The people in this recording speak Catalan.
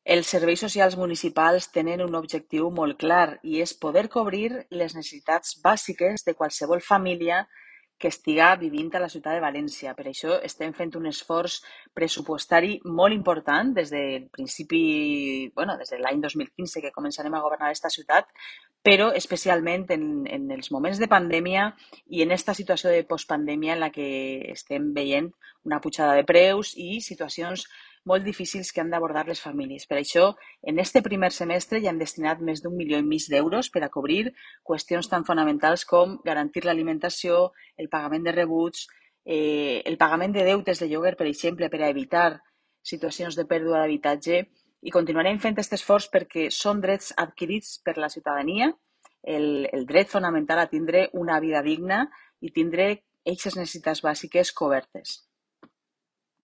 Els serveis socials municipals tenen un objectiu molt clar i és poder cobrir les necessitats bàsiques de qualsevol família que estiga vivint a la ciutat de València. Per això estem fent un esforç pressupostari molt important des del principi, des de l'any 2015 que començarem a governar aquesta ciutat, però especialment en els moments de pandèmia i en aquesta situació de postpandèmia en la que estem veient una pujada de preus i situacions molt difícils que han d'abordar les famílies. Per això, en este primer semestre ja hem destinat més d'1,5 milió d'euros per a cobrir qüestions tan fonamentals com garantir l'alimentació, el pagament de rebuts, el pagament de deutes de lloguer, per exemple, per a evitar situacions de pèrdua d'habitatge, i continuarem fent aquest esforç perquè són drets adquirits per la ciutadania, el dret fonamental a tindre una vida digna i tindre aquestes necessitats bàsiques cobertes.